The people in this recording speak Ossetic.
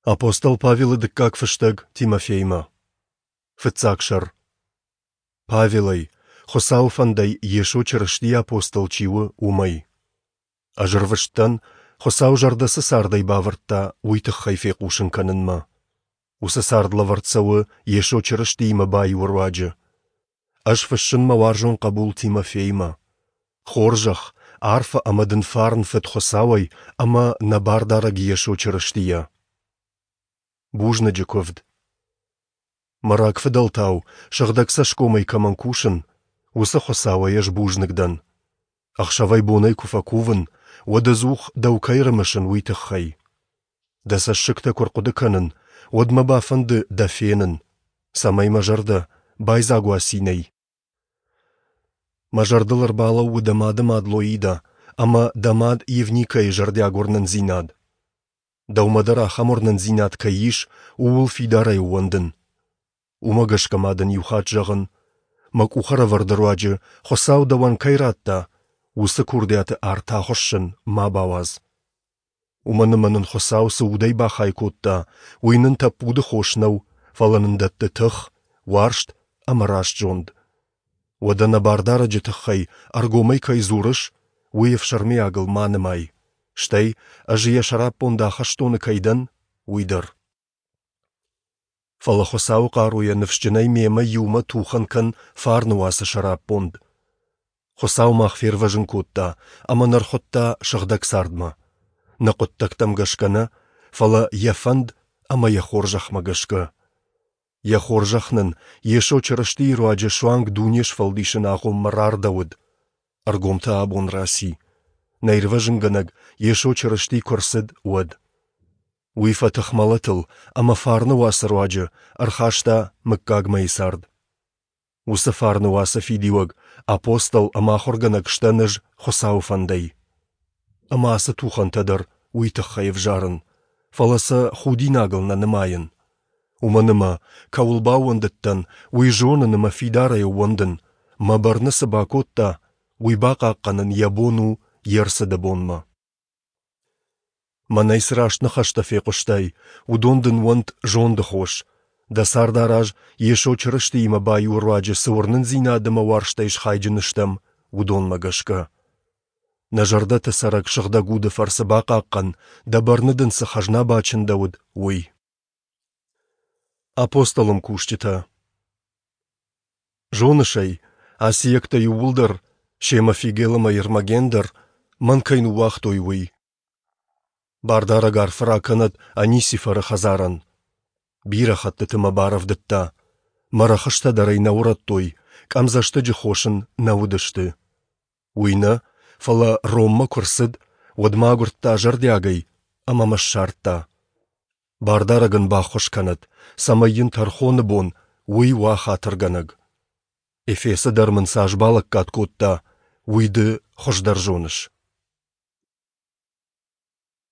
Апостол Павелы дыккаг фыстӕг Тимофеймӕ. Фыццаг сӕр. Павелӕй, Хуыцауы фӕндӕй Йесо Чырыстийы апостол чи у, уымӕй. Ӕз ӕрвыст дӕн, Хуыцау зӕрдӕ цы цардӕй бавӕрдта, уый тыххӕй фехъусын кӕнынмӕ. Уыцы цард лӕвӕрд цӕуы Йесо Чырыстиимӕ баиуы руаджы. Ӕз фыссын мӕ уарзон хъӕбул Тимофеймӕ. Хорзӕх, арфӕ ӕмӕ дын фарн Фыд Хуыцауӕй ӕмӕ нӕ Бардарӕг Йесо Чырыстийӕ. Бузныджы куывд. Мӕ рагфыдӕлтау сыгъдӕг цӕсгомӕй кӕмӕн кусын, уыцы Хуыцауӕй ӕз бузныг дӕн. Ӕхсӕвӕй-бонӕй куы фӕкувын, уӕд ӕдзух дӕу кӕй рымысын, уый тыххӕй. Дӕ цӕссыгтӕ куы ӕрхъуыды кӕнын, уӕд мӕ бафӕнды дӕ фенын, цӕмӕй мӕ зӕрдӕ байдзаг уа цинӕй. Мӕ зӕрдыл ӕрбалӕууы дӕ мады мад Лоида ӕмӕ дӕ мад Евникӕйы зӕрдиаг уырнындзинад. Дӕумӕ дӕр ахӕм уырнындзинад кӕй ис, ууыл фидарӕй ӕууӕндын. Уымӕ гӕсгӕ ма дын иу хатт зӕгъын, мӕ къухӕрӕвӕрды руаджы Хуыцау дӕуӕн кӕй радта, уыцы курдиаты арт ахуыссын ма бауадз. Уымӕн ӕмӕ нын Хуыцау цы удӕй бахай кодта, уый нын тӕппуды хос нӕу, фӕлӕ нын дӕтты тых, уарзт ӕмӕ раст зонд. Уӕдӕ нӕ Бардарӕджы тыххӕй ӕргомӕй кӕй дзурыс, уый ӕфсӕрмиагыл ма нымай, стӕй, ӕз йӕ сӕраппонд ахӕстоны кӕй дӕн, уый дӕр. Фӕлӕ Хуыцауы хъаруйӕ ныфсджынӕй мемӕ иумӕ тухӕн кӕн фарны уацы сӕраппонд. Хуыцау мах фервӕзын кодта ӕмӕ нӕ ӕрхуыдта сыгъдӕг цардмӕ. Нӕ хъуыддӕгтӕм гӕсгӕ нӕ, фӕлӕ йӕ фӕнд ӕмӕ йӕ хорзӕхмӕ гӕсгӕ. Йӕ хорзӕх нын Йесо Чырыстийы руаджы суанг дуне сфӕлдисыны агъоммӕ рардӕуыд, ӕргом та абон раци, нӕ Ирвӕзынгӕнӕг Йесо Чырысти куы ӕрцыд, уӕд. Уый фӕтых мӕлӕтыл ӕмӕ фарны уацы руаджы ӕрхаста мыггагмӕйы цард. Уыцы фарны уацы фидиуӕг, апостол ӕмӕ ахуыргӕнӕг сдӕн ӕз Хуыцауы фӕндӕй. Ӕмӕ ацы тухӕнтӕ дӕр уый тыххӕй ӕвзарын, фӕлӕ сӕ худинагыл нӕ нымайын. Уымӕн ӕмӕ, кӕуыл баууӕндыдтӕн, уый зонын ӕмӕ фидарӕй ӕууӕндын, мӕ бӕрны цы бакодта, уый бахъахъхъӕнын йӕ бон у йе рцыды бонмӕ. Мӕнӕй цы раст ныхӕстӕ фехъуыстай, уыдон дын уӕнт зонды хос, дӕ цард араз, Йесо Чырыстиимӕ баиуы руаджы цы уырнындзинад ӕмӕ уарзтӕй схайджын стӕм, уыдонмӕ гӕсгӕ. Нӕ зӕрдӕты цӕрӕг Сыгъдӕг Уды фӕрцы бахъахъхъӕн, дӕ бӕрны дын цы хӕзна бачындӕуыд, уый. Апостолон кусджытӕ Зоныс ӕй, асиӕгтӕ иууылдӕр, семӕ Фигел ӕмӕ Ермоген дӕр, мӕн кӕй ныууагътой, уый. Бардарӕг арфӕ ракӕнӕд Анисифоры хӕдзарӕн. Бирӕ хӕттыты мӕ барӕвдыдта, мӕ рӕхыстӕ дӕр ӕй нӕ урӕдтой, къӕмдзӕстыджы хос ын нӕ уыдысты. Уый нӕ, фӕлӕ Роммӕ куы рцыд, уӕд мӕ агуырдта зӕрдиагӕй ӕмӕ мӕ ссардта. Бардарӕг ын баххуыс кӕнӕд, цӕмӕй йын тӕрхоны бон уый уа хатыргӕнӕг. Эфесы дӕр мын цас балӕггад кодта, уый ды хуыздӕр зоныс.